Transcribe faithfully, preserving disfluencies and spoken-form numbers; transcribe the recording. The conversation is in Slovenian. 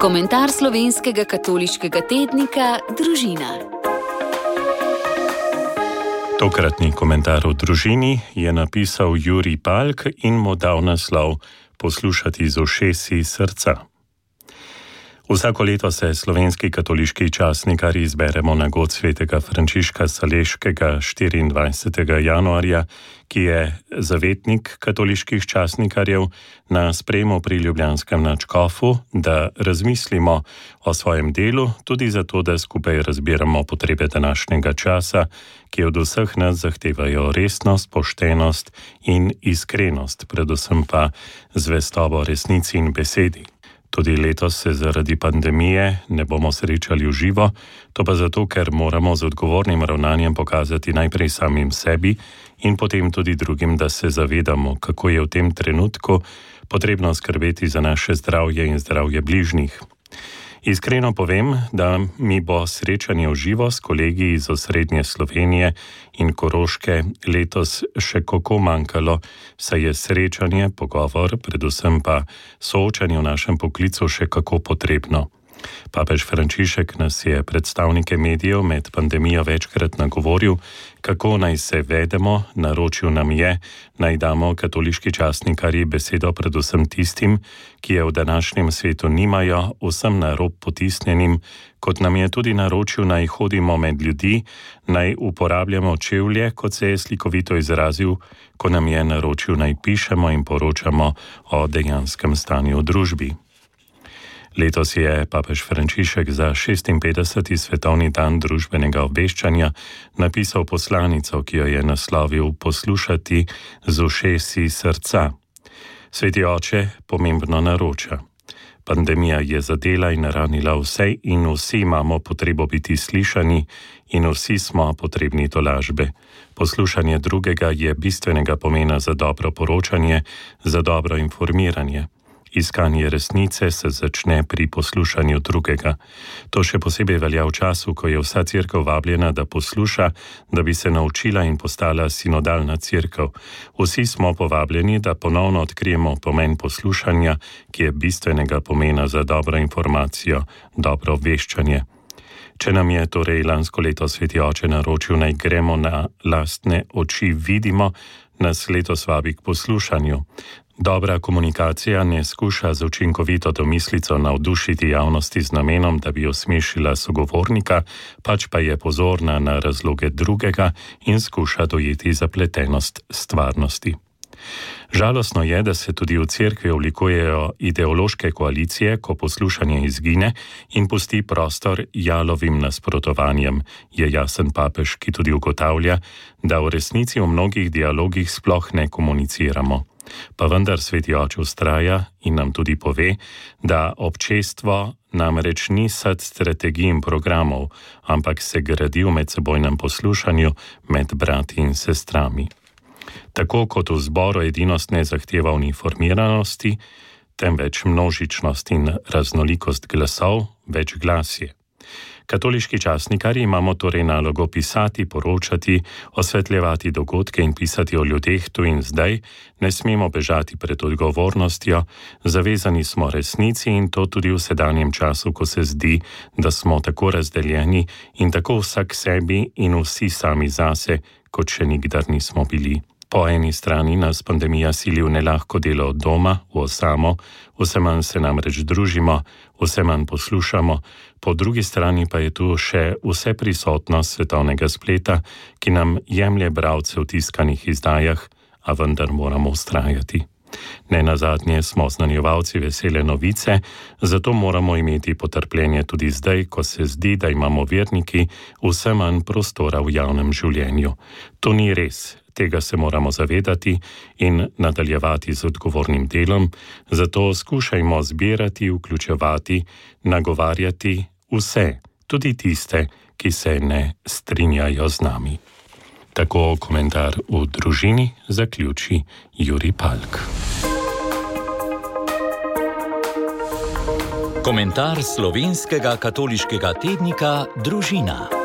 Komentar slovenskega katoliškega tednika Družina. Tokratni komentar o družini je napisal Jurij Palk in mu dal naslov Poslušati z ušesi srca. Vsako leto se slovenski katoliški časnikarji izberemo na god svetega Frančiška Saleškega štiriindvajsetega januarja, ki je zavetnik katoliških časnikarjev, na sprejemu pri ljubljanskem nadškofu, da razmislimo o svojem delu, tudi zato, da skupaj razbiramo potrebe današnjega časa, ki od vseh nas zahtevajo resnost, poštenost in iskrenost, predvsem pa zvestobo resnici in besedi. Tudi letos se zaradi pandemije ne bomo srečali v živo, to pa zato, ker moramo z odgovornim ravnanjem pokazati najprej samim sebi in potem tudi drugim, da se zavedamo, kako je v tem trenutku potrebno skrbeti za naše zdravje in zdravje bližnjih. Iskreno povem, da mi bo srečanje v živo s kolegi iz osrednje Slovenije in Koroške letos še kako manjkalo, saj je srečanje, pogovor, predvsem pa soočanje v našem poklicu še kako potrebno. Papež Frančišek nas je predstavnike medijev med pandemijo večkrat nagovoril, kako naj se vedemo, naročil nam je, naj damo katoliški časnikarji besedo predvsem tistim, ki je v današnjem svetu nimajo, vsem na rob potisnjenim, kot nam je tudi naročil, naj hodimo med ljudi, naj uporabljamo čevlje, kot se je slikovito izrazil, ko nam je naročil, naj pišemo in poročamo o dejanskem stanju v družbi. Letos je papež Frančišek za šestinpetdeseti svetovni dan družbenega obveščanja napisal poslanico, ki jo je naslovil Poslušati z ušesi srca. Sveti oče pomembno naroča. Pandemija je zadela in ranila vse in vsi imamo potrebo biti slišani in vsi smo potrebni tolažbe. Poslušanje drugega je bistvenega pomena za dobro poročanje, za dobro informiranje. Iskanje resnice se začne pri poslušanju drugega. To še posebej velja v času, ko je vsa cerkev vabljena, da posluša, da bi se naučila in postala sinodalna cerkev. Vsi smo povabljeni, da ponovno odkrijemo pomen poslušanja, ki je bistvenega pomena za dobro informacijo, dobro obveščanje. Če nam je torej lansko leto sveti oče naročil, naj gremo na lastne oči vidimo, nas letos vabi k poslušanju. Dobra komunikacija ne skuša z učinkovito domislico navdušiti javnosti z namenom, da bi osmešila sogovornika, pač pa je pozorna na razloge drugega in skuša dojeti zapletenost stvarnosti. Žalostno je, da se tudi v cerkvi oblikujejo ideološke koalicije, ko poslušanje izgine in pusti prostor jalovim nasprotovanjem, je jasen papež, ki tudi ugotavlja, da v resnici v mnogih dialogih sploh ne komuniciramo. Pa vendar sveti oče vztraja in nam tudi pove, da občestvo namreč ni sad strategij in programov, ampak se gradi v medsebojnem poslušanju med brati in sestrami. Tako kot v zboru edinost ne zahteva uniformiranosti, temveč množičnost in raznolikost glasov, več glasje. Katoliški časnikarji imamo torej nalogo pisati, poročati, osvetljevati dogodke in pisati o ljudeh tu in zdaj, ne smemo bežati pred odgovornostjo, zavezani smo resnici in to tudi v sedanjem času, ko se zdi, da smo tako razdeljeni in tako vsak sebi in vsi sami zase, kot še nikdar nismo bili. Po eni strani nas pandemija sili v nelahko delo od doma, v osamo, vse manj se namreč družimo, vse manj poslušamo, po drugi strani pa je tu še vse prisotnost svetovnega spleta, ki nam jemlje bralce v tiskanih izdajah, a vendar moramo vztrajati. Nenazadnje smo znanjevalci vesele novice, zato moramo imeti potrpljenje tudi zdaj, ko se zdi, da imamo verniki vse manj prostora v javnem življenju. To ni res. Tega se moramo zavedati in nadaljevati z odgovornim delom, zato skušajmo zbirati, vključevati, nagovarjati vse, tudi tiste, ki se ne strinjajo z nami. Tako komentar v družini zaključi Jurij Palk. Komentar slovenskega katoliškega tednika Družina.